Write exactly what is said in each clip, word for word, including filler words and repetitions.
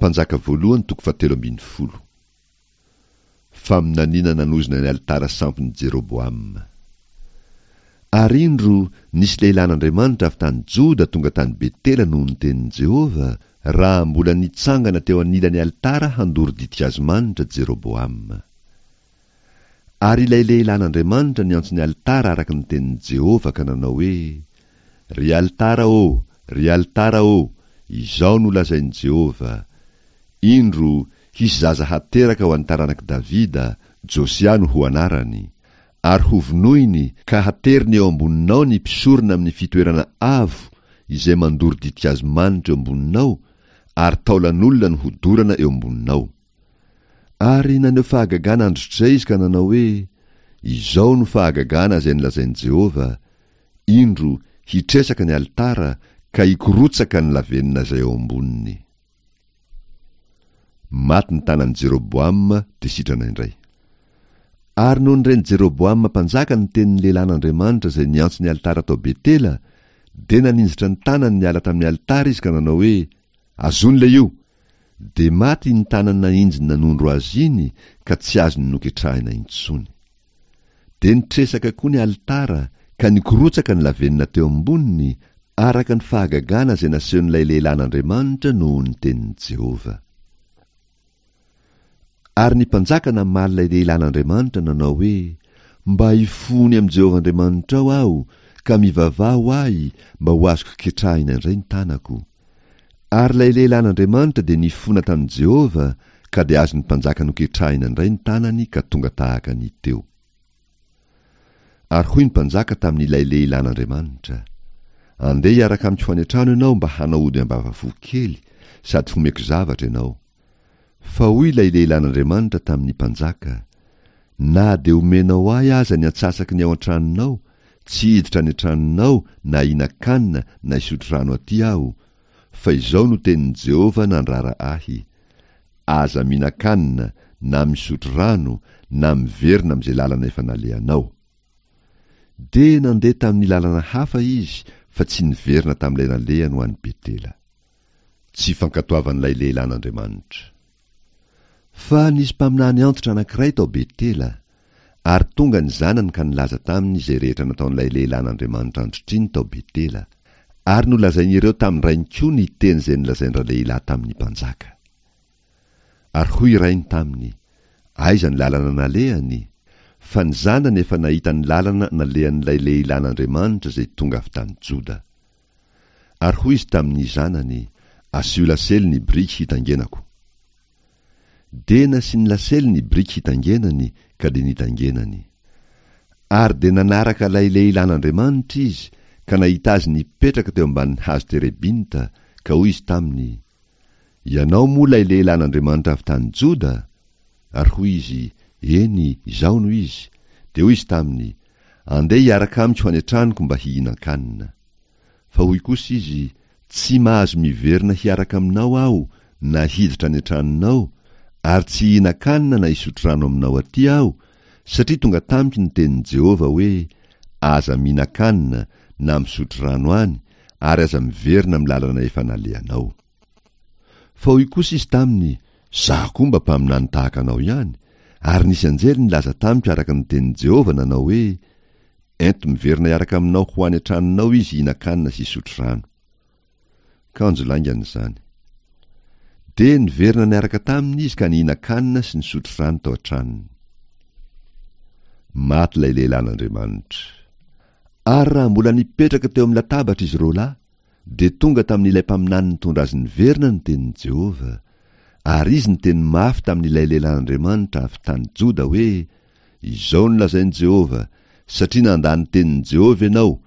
Mpanjaka voalohany toko fahatelo ambin'ny folo. Faminaniana nanozona ny alitara sampin'i Jeroboama. Ary indro, nisy lehilahin'Andriamanitra avy tany Joda tonga tany Betela noho ny tenin'i Jehovah, raha mbola nitsangana teo anilan'ny alitara handoro ditin-kazo manitra Jeroboama. Ary ilay lehilahin'Andriamanitra niantso ny alitara araka ny tenin'i Jehovah ka nanao hoe, Ry alitara ô, ry alitara ô, izao no lazain'i Jehovah, Indro, hisy zaza hateraka ho an'ny taranak'i Davida, Josia no ho anarany. Ary hovonoiny ka hateriny eo amboninao ny mpisorona amin'ny fitoerana avo izay mandoro ditin-kazo manitra eo amboninao, ary taolan'olona no hodorana eo amboninao. Ary naneho fahagagana androtr'izay izy ka nanao hoe, Izao no fahagagana izay nolazain'i Jehovah, Indro, hitresaka ny alitara, ka hikorotsaka ny lavenona izay eo amboniny. Maty ny tanan'i Jeroboama, dia sitrana indray. Ary nony ren'i Jeroboama mpanjaka ny tenin'ny lehilahin'Andriamanitra izay niantso ny alitara tao Betela, dia naninjitra ny tanany niala tamin'ny alitara izy ka nanao hoe, Azony ilay io! Dia maty iny tanany nahinjiny nanondro azy iny ka tsy azony noketrahina intsony. Dia nitresaka koa ny alitara ka nikorotsaka ny lavenona teo amboniny, araka ny fahagagana izay nasehon'ilay lehilahin'Andriamanitra noho ny tenin'i Jehovah. Ary ny mpanjaka namaly ilay lehilahin'Andriamanitra nanao hoe, Mba hifony amin'i Jehovah Andriamanitrao aho, ka mivavaha ho ahy mba ho azoko ketrahina indray ny tanako. Ary ilay lehilahin'Andriamanitra dia nifona tamin'i Jehovah, ka dia azon'ny mpanjaka noketrahina indray ny tanany ka tonga tahaka ny teo. Ary hoy ny mpanjaka tamin'ilay lehilahin'Andriamanitra, Andeha hiaraka amiko ho any an-trano ianao mba hanao ody ambavafo kely, sady homeko zavatra ianao. Fa hoy ilay lehilahin'Andriamanitra tamin'ny mpanjaka, Na dia omenao ahy aza ny antsasaky ny ao an-tranonao, tsy hiditra any an-tranonao na hihinan-kanina na hisotro rano aty aho, fa izao no tenin'i Jehovah nandrara ahy, Aza mihinan-kanina na misotro rano na miverina amin'izay lalana efa nalehanao. Dia nandeha tamin'ny lalana hafa izy fa tsy niverina tamin'ilay nalehany ho any Betela. Tsy fankatoavan'ilay lehilahin'Andriamanitra. Fa nisy mpaminany antitra anankiray tao Betela, ary tonga ny zanany ka nilaza taminy izay rehetra nataon'ilay lehilahin'Andriamanitra antrtriny tao Betela, ary nolazain'ireo tamin-drainy koa ny teny izay nolazain-dralehilahy tamin'ny mpanjaka. Ary hoy rainy taminy, Aiza ny lalana nalehany? Fa ny zanany efa nahita ny lalana nalehan'ilay lehilahin'Andriamanitra izay tonga avy tany Joda. Ary hoy izy tamin'ny zanany, Asio lasely ny biriky hitangenako. Dia nasiany lasely ny biriky hitangenany, ka dia nitangenany. Ary dia nanaraka ilay lehilahin'Andriamanitra izy, ka nahita azy nipetraka teo ambanin'ny hazo terebinta, ka hoy izy taminy, Ianao moa ilay lehilahin'Andriamanitra avy tany Joda? Ary hoy izy, Eny, izaho no izy. Dia hoy izy taminy, Andeha hiaraka amiko ho any an-tranoko mba hihinan-kanina. Fa hoy kosa izy, Tsy mahazo miverina hiaraka aminao aho na hiditra any an-tranonao, ary tsy hihinan-kanina na hisotro rano aminao aty aho, satria tonga tamiko ny tenin'i Jehovah hoe, Aza mihinan-kanina na misotro rano any, ary aza miverina amin'ny lalana efa nalehanao. Fa hoy kosa izy taminy, Izaho koa mba mpaminany tahaka anao ihany, ary nisy anjely nilaza tamiko araka ny tenin'i Jehovah nanao hoe, Ento miverina hiaraka aminao ho any an-tranonao izy hihinan-kanina sy hisotro rano. Kanjo laingany izany. Dia niverina niaraka taminy izy ka nihinan-kanina sy nisotro rano tao an-tranony. Maty ilay lehilahin'Andriamanitra. Ary raha mbola nipetraka teo amin'ny latabatra izy roa lahy, dia tonga tamin'ilay mpaminany nitondra azy niverina ny tenin'i Jehovah. Ary izy niteny mafy tamin'ilay lehilahin'Andriamanitra avy tany Joda hoe, Izao no lazain'i Jehovah, Satria nandà ny tenin'i Jehovah ianao,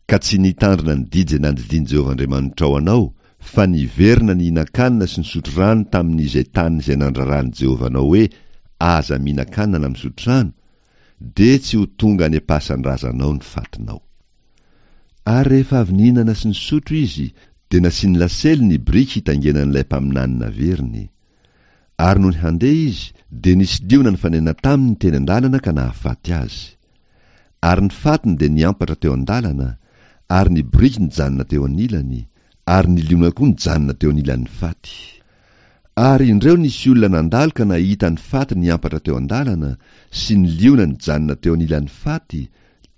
ka tsy nitandrina ny didy izay nandidian'i Jehovah Andriamanitrao anao, fa niverina nihinan-kanina sy nisotro rano tamin'izay tany izay nandraran'i Jehovah anao hoe, Aza mihinan-kanina na misotro rano, dia tsy ho tonga any am-pasan-drazanao ny fatinao. Ary rehefa avy nihinana sy nisotro izy, dia nasiany lasely ny biriky hitaingenan'ilay mpaminany naveriny. Ary nony handeha izy, dia nisy liona nifanena taminy teny an-dalana ka nahafaty azy. Ary ny fatiny dia niampatra teo an-dalana, ary ny boriky nijanona teo anilany, ary ny liona koa nijanona teo anilan'ny faty. Ary indreo nisy olona nandalo ka nahita ny faty niampatra teo an-dalana sy ny liona nijanona teo anilan'ny faty,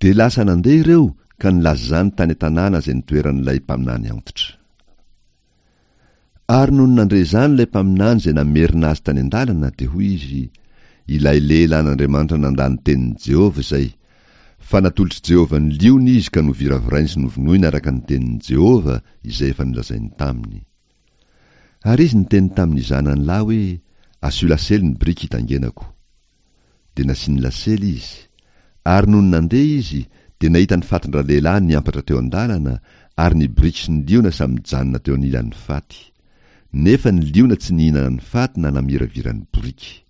dia lasa nandeha ireo ka nilaza izany tany an-tanàna izay nitoeran'ilay mpaminany antitra. Ary nony nandre izany ilay mpaminany izay namerina azy tany an-dalana, dia hoy izy, Ilay lehilahin'Andriamanitra nandà ny tenin'i Jehovah izay, fa natolotr'i Jehovah ny liona izy ka noviravirainy sy novonoiny araka ny tenin'i Jehovah izay efa nolazainy taminy. Ary izy niteny tamin'ny zanany lahy hoe, Asio lasely ny biriky hitaingenako. Dia nasiany lasely izy. Ary nony nandeha izy, dia nahita ny fatin-dralehilahy niampatra teo an-dalana, ary ny biriky sy ny liona samy nijanona teo anilan'ny faty. Nefa ny liona tsy nihinana ny faty na namiravira ny boriky.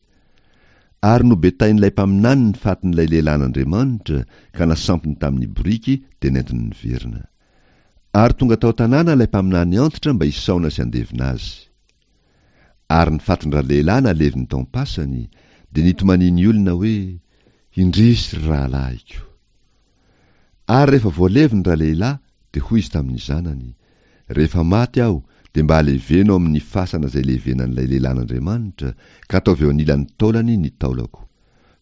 Ary nobetain'ilay mpaminany ny fatin'ilay lehilahin'Andriamanitra, ka nasampiny tamin'ny boriky, dia nentiny niverina. Ary tonga tao an-tanàna ilay mpaminany antitra mba hisaona sy handevina azy. Ary ny fatin-dralehilahy naleviny tao am-pasany, dia nitomanian'ny olona hoe, Indrisy, ry rahalahiko! Ary rehefa voaleviny ralehilahy, dia hoy izy tamin'ny zanany, Rehefa maty aho, dia mba aleveno ao amin'ny fasana izay levenan'ilay lehilahin'Andriamanitra, ka ataovy eo anilan'ny taolany ny taolako.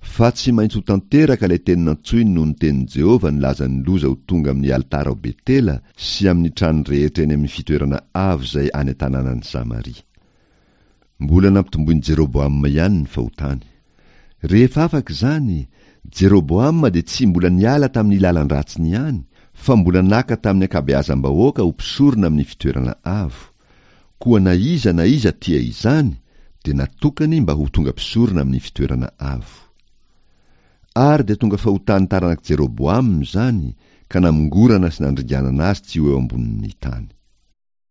Fa tsy maintsy ho tanteraka ilay teny nantsoiny noho ny tenin'i Jehovah nilaza ny loza ho tonga amin'ny alitara ao Betela sy amin'ny trano rehetra eny amin'ny fitoerana avo izay any an-tanànan'i Samaria. Mbola nampitomboin'i Jeroboama ihany ny fahotany. Rehefa afaka izany, Jeroboama dia tsy mbola niala tamin'ny lalan-dratsiny ihany, fa mbola naka tamin'ny ankabeazam-bahoaka ho mpisorona amin'ny fitoerana avo. Koa na iza na iza tia izany, dia natokany mba ho tonga mpisorona amin'ny fitoerana avo. Ary dia tonga fahotan'ny taranak'i Jeroboama izany, ka namongorana sy nandringanana azy tsy ho eo ambonin'ny tany.